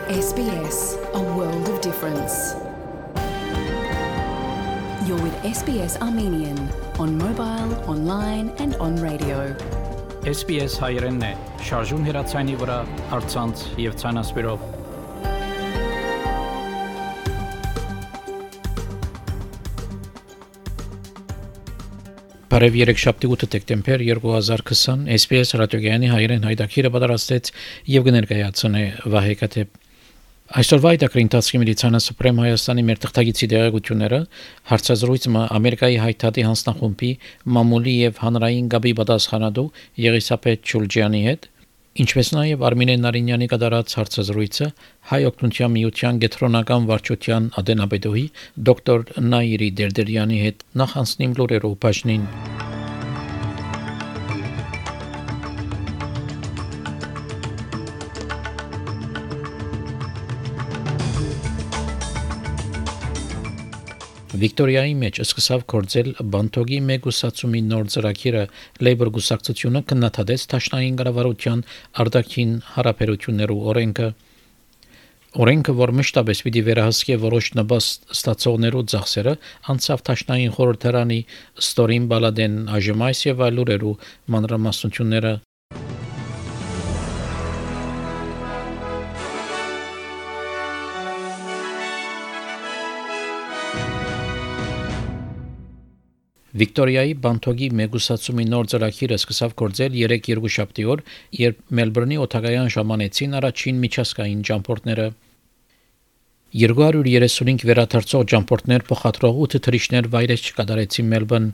SBS, a world of difference. You're with SBS Armenian on mobile, online and on radio. SBS հայերենն է, շարժուն հեռացանի վրա, առցանց եւ ցանասպիրով։ Բարև երեքշաբթի 8 դեկտեմբեր 2020 SBS ռադիոգյանի հայերեն հայտակիրը պատրաստեց եւ կներկայացնե Վահե Կաթեփ։ Այսօրվա հայտակրի ընթացքի միլիցիանա Սուպրեմ Հայաստանի մեր թղթագիտի դերակցությունները հարցազրույցը Ամերիկայի հայտարարի հանձնախումբի մամուլի եւ հանրային գաբի պատասխանատու Եղիսաբեթ Չուլջյանի հետ, ինչպես նաեւ Արմինե Նարինյանի կատարած հարցազրույցը Հայ օգնության միության գետրոնական վարչության ադենապետուհի դոկտոր Նաիրի Դերդերյանի հետ նախ անցնիմ լուրերով բաժնին։ Վիկտորիայի մեջ սկսավ գործել բանտոգի մեգուսացումի նոր ծրագիրը Labour գուսակցությունը քննադատեց Դաշնային կառավարության արտաքին հարաբերություններու օրենքը, որ մշտապես պիտի վերահսկի որոշ նպաստ ստացողներու ծախսերը, անցավ Դաշնային խորհրդարանի Ստորին Բալադեն Աժմայս եւ այլ լուրերու մանրամասնությունները Վիկտորիայի բանտոգի մեգուսացումի նոր ծրագիրը սկսավ գործել 3 շաբթի օր, երբ Մելբուրնի օտագայան ժամանեցին առաջին միջազգային ճամփորդները 235 վերադարձող ճամփորդներ փոխադրող 8 թռիչքներ վայրէջք կատարեցին Մելբուրն։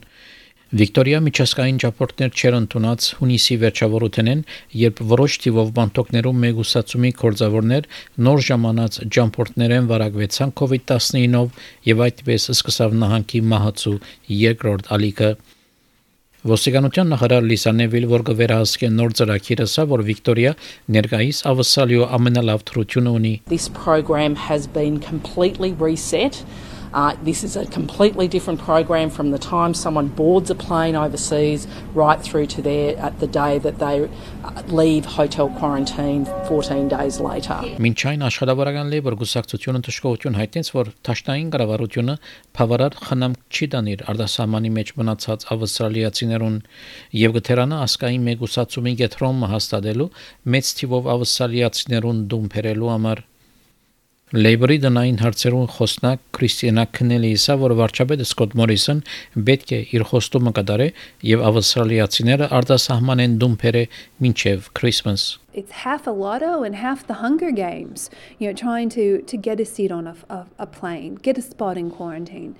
Վիկտորիա միջազգային ճամփորդներ չեն ընդունած հունիսի վերջավորութենեն, երբ որոշ թիվով բանտոկներում մեգուսացումի գործավորներ նոր ժամանած ճամփորդներեն վարակվեցան COVID-19-ով եւ այդպես սկսավ նահանգի մահացու երկրորդ ալիքը։ Ոստիկանության նախարար Լիսա Նևիլ, որ կվերահսկի նոր ծրագիրը, ասա, որ Վիկտորիա ներկայիս ավսալյո ամենալավ թռությունը ունի։ This program has been completely reset. This is a completely different program from the time someone boards a plane overseas right through to at the day that they leave hotel quarantine 14 days later. Մինչ այն աշխատավորական Labour գուսակցությունը դժգոհություն հայտնեց, որ Դաշնային կառավարությունը բավարար խնամք չի տանիր արտասահմանի մեջ մնացած ավստրալիացիներուն եւ գթերանա ասկային մեգուսացումի գետրոնը հաստատելու մեծ թիվով ավստրալիացիներուն դում բերելու համար Labour-ի դնային հարցերուն խոսնակ Քրիստիանա Քնելիսը, որ վարչապետ Սկոտ Մորիսոն պետք է իր խոստումը կատարի եւ ավստրալիացիները արտասահման են դում բերե մինչեւ Christmas. It's half a lotto and half the Hunger Games, trying to get a seat on a plane, get a spot in quarantine.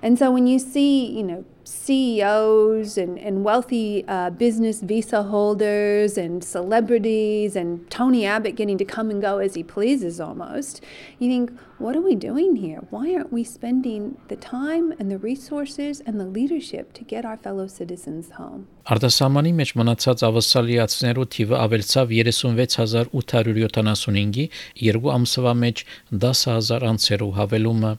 And so when you see, CEOs and wealthy business visa holders and celebrities and Tony Abbott getting to come and go as he pleases almost, you think, what are we doing here? Why aren't we spending the time and the resources and the leadership to get our fellow citizens home? Արտասահմանի մեջ մնացած ավստրալիացիներու թիվը ավելցավ 36875-ի 2 ամսվա մեջ 10000 անցերու հավելումը։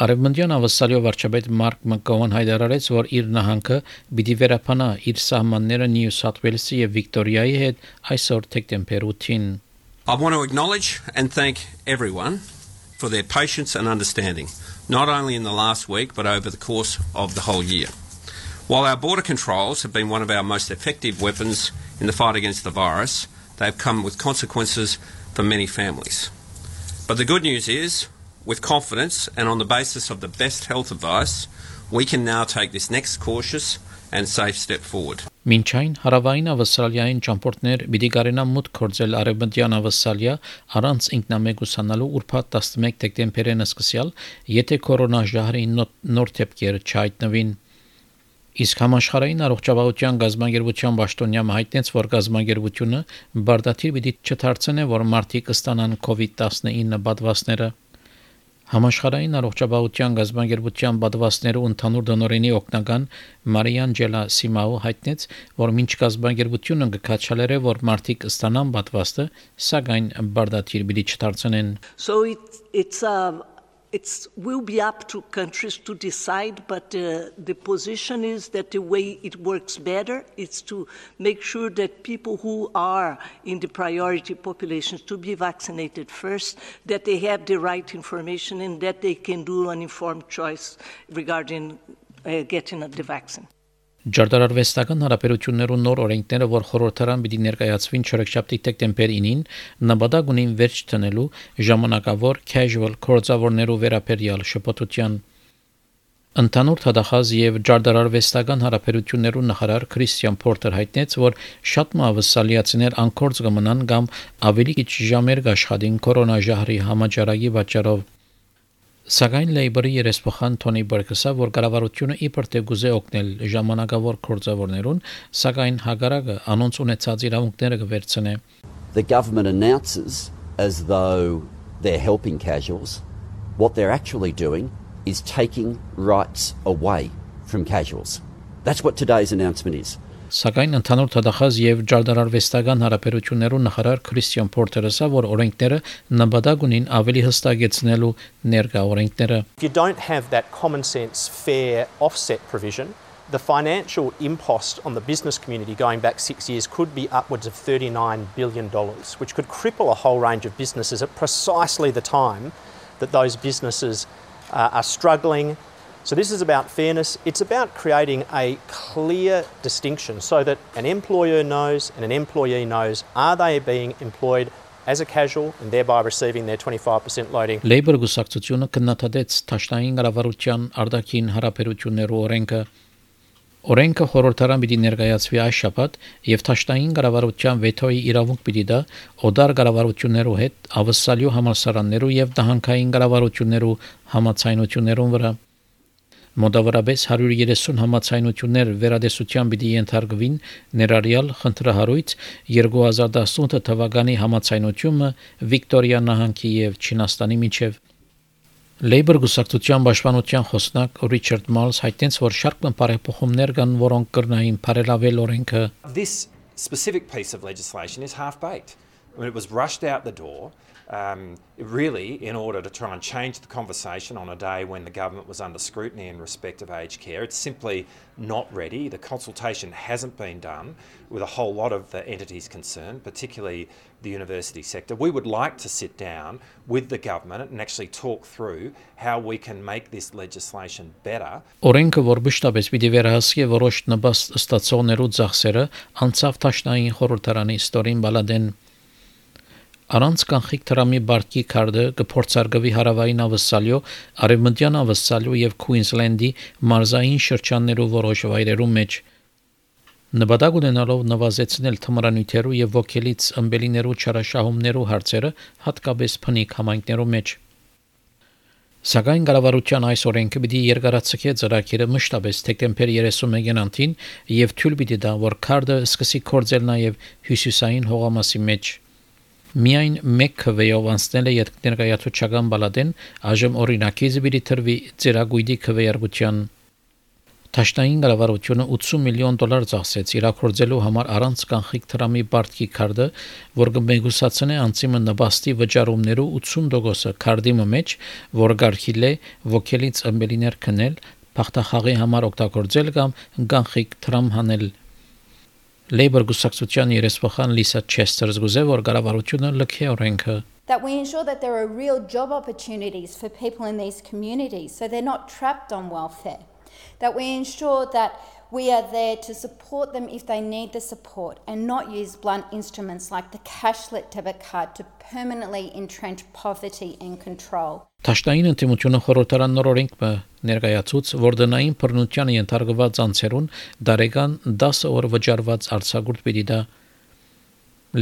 Արևմտյան ավստրալիա վարչապետ Մարկ Մակգոուան հայտարարեց, որ իր նահանգը պիտի վերապանա իր սահմանները Նյու Սաութ Ուելսի եւ Վիկտորիայի հետ այսօր դեկտեմբեր 8-ին. I want to acknowledge and thank everyone for their patience and understanding, not only in the last week but over the course of the whole year. While our border controls have been one of our most effective weapons in the fight against the virus, they have come with consequences for many families. But the good news is, with confidence and on the basis of the best health advice, we can now take this next cautious and safe step forward. Մինչ այն հարավային ավստրալիային ճամփորդներ պիտի կարենան մուտք գործել արևմտյան ավստրալիա առանց ինքնամեկուսանալու ուրբաթ 11 դեկտեմբերին սկսյալ, եթե կորոնաժահրի նոր դեպքեր չհայտնվին։ Իսկ համաշխարհային առողջապահության գազագերբության պաշտոնյա հայտնեց, որ գազագերբությունը բարդաթիր պիտի չդարձնի, որ մարդիկ ստանան COVID-19 պատվաստները։ Համաշխարհային առողջապահության գազագերբության պատվաստներու ընդհանուր դոնորինի օգնական Մարիանջելա Սիմաու հայտնեց, որ մինչ գազագերբությունը կքաչալերը, որ մարդիկ ստանան պատվաստը, սակայն բարդաթիր պիտի չդարձնեն։ So it's It will be up to countries to decide, but the position is that the way it works better is to make sure that people who are in the priority populations to be vaccinated first, that they have the right information and that they can do an informed choice regarding getting the vaccine. Ջարդարարվեստական հարաբերություններու նոր օրենքները, որ խորհրդարան պիտի ներկայացվին չորեքշաբթի դեկտեմբեր 9-ին, նպատակ ունին վերջ տնելու ժամանակավոր casual կորձավորներու վերաբերյալ շփոթության։ Ընդհանուր թադախած եւ ջարդարարվեստական հարաբերություններու նախարար Քրիստիան Փորտեր հայտնեց, որ շատ մավսալիացիներ անկորձ կմնան կամ ավելի քիչ ժամեր կաշխատին կորոնաժահրի համաճարակի պատճառով։ Սակայն Լեյբորի երեսփոխան Թոնի Բերգսը, որ կառավարությունը իբր թե գուզե օգնել ժամանակավոր կորձավորներուն, սակայն հագարակը անոնց ունեցած իրավունքները կվերցնե։ The government announces as though they're helping casuals. What they're actually doing is taking rights away from casuals. That's what today's announcement is. Սակայն ընդհանուր թադախած եւ ջարդարարվեստական հարաբերություններու նախարար Քրիստիան Փորտերը ասա, որ օրենքները նպատակ ունին ավելի հստակեցնելու ներկա օրենքները։ If you don't have that common sense fair offset provision, the financial impost on the business community going back 6 years could be upwards of $39 billion, which could cripple a whole range of businesses at precisely the time that those businesses are struggling. So this is about fairness. It's about creating a clear distinction so that an employer knows and an employee knows, are they being employed as a casual and thereby receiving their 25% loading. Labour գուսակցությունը կննադեց Թաշնային կառավարության արտաքին հարաբերություններու օրենքը։ Օրենքը խորհրդարան պիտի ներկայացվի այս շաբաթ եւ Թաշնային կառավարության վետոյի իրավունք պիտի դա օդար կառավարություններու հետ ավսալյու համալսարաններու եւ դահանքային կառավարություններու համացայնություններուն վրա։ Մոտավորապես 130 համացայնություններ վերադեսության պիտի ենթարկվին ներառյալ խնդրահարույց 2018 թվականի համացայնությունը Վիկտորիա նահանգի եւ Չինաստանի միջև։ Labour գուսակցության պաշտպանության խոսնակ Ռիչարդ Մալս հայտնեց, որ շարք բարեփոխումներ կան, որոնք կրնային բարելավել օրենքը։ This specific piece of legislation is half-baked. When it was rushed out the door, really in order to try and change the conversation on a day when the government was under scrutiny in respect of aged care. It's simply not ready. The consultation hasn't been done with a whole lot of the entities concerned, particularly the university sector. We would like to sit down with the government and actually talk through how we can make this legislation better. Օրենքը, որ մշտապես պիտի վերահսկի որոշ նպաստ ստացողներու ծախսերը, անցավ Թաշնային խորհրդարանի ստորին բալադեն։ Առանց կանխիկ տրամի բարգի քարտը կփորձարկվի հարավային ավսալյո, արևմտյան ավսալյո եւ Քուինսլենդի մարզային շրջաններու որոշ վայրերում մեջ։ Նպատակ ունենալով նվազեցնել թմրանյութերու եւ ոգելից ըմբելիներու չարաշահումներու հարցերը, հատկապես փնիկ համայնքներու մեջ։ Սակայն կառավարության այս օրենքը պիտի երկարացկե ծրագիրը մշտապես դեկտեմբեր 31-ին եւ թույլ պիտի տա, որ քարտը սկսի կորձել նաեւ հյուսիսային հողամասի մեջ։ Միայն մեկ քվեով անցնել է ներկայացուցչական բալադեն, այժմ օրինակիցը պիտի տրվի ծերագույդի քվեարկության։ Թաշնային կառավարությունը $80 միլիոն ծախսեց իրակորձելու համար առանց կանխիկ տրամի բարգի քարտը, որ կմեգուսացնե անցիմը նպաստի վճարումներու 80%-ը քարտի մեջ, որ գարքիլ է ոգելից ըմբելիներ քնել, փախտախաղի համար օգտագործել կամ կանխիկ տրամ հանել։ Labour գուսակցության երեսփոխան Լիսա Չեսթերս գուզե, որ կառավարությունը լքե օրենքը։ That we ensure that there are real job opportunities for people in these communities so they're not trapped on welfare. That we ensure that we are there to support them if they need the support and not use blunt instruments like the cash-lit debit card to permanently entrench poverty and control. Թաշնային ընդդիմությունը խորհրդարան նոր օրենք ներկայացուց, որ դնային բռնության ենթարկված անձերուն դարեկան 10 օր վճարված արձակուրդ պիտի դա։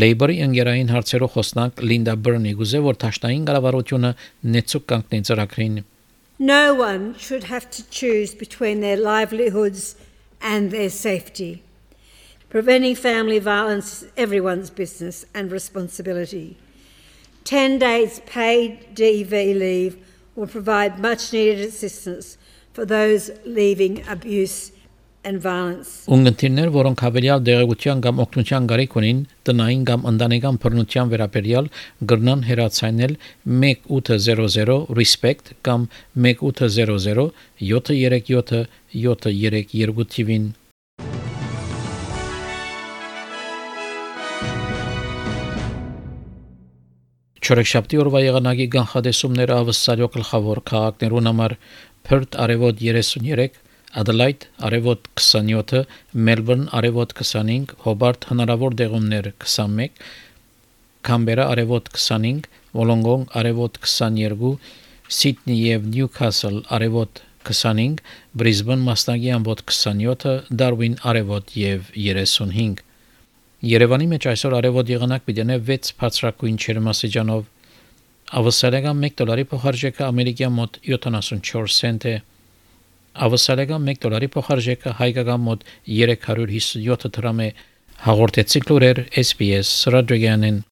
Labour-ի ընկերային հարցերով խոսնակ Լինդա Բըրնի գուզե, որ թաշնային կառավարությունը նեցուկ կանգնի ծրագրին։ No one should have to choose between their livelihoods and their safety. Preventing family violence is everyone's business and responsibility. 10 days paid DV leave will provide much needed assistance for those leaving abuse and violence. Ունգընտիրներ, որոնք հավելյալ դեղեցության կամ օգնության կարիք ունին, տնային կամ ընտանեկան բռնության վերաբերյալ գրնան հեռացանել 1800 respect կամ 1800 737 732 թիվին։ Չորեքշաբթի օրվա եղանակի կանխատեսումները ավսալյո գլխավոր քաղաքներուն համար Perth արևոտ 33, Adelaide արևոտ 27, Melbourne արևոտ 25, Hobart հնարավոր դեղումներ 21, Canberra արևոտ 25, Wollongong արևոտ 22, Sydney եւ Newcastle արևոտ 25, Brisbane մասնագի ամբոտ 27, Darwin արևոտ եւ 35։ Երևանի մեջ այսօր արևոտ եղանակ պիտի 6 բարձրակույն ջերմաստիճանով, ավսալական $1 փոխարժեքը ամերիկյան մոտ 74 سنت է, ավսալական $1 փոխարժեքը հայկական մոտ 357 դրամ է, հաղորդեցի լուրեր SBS ռադիոյանեն։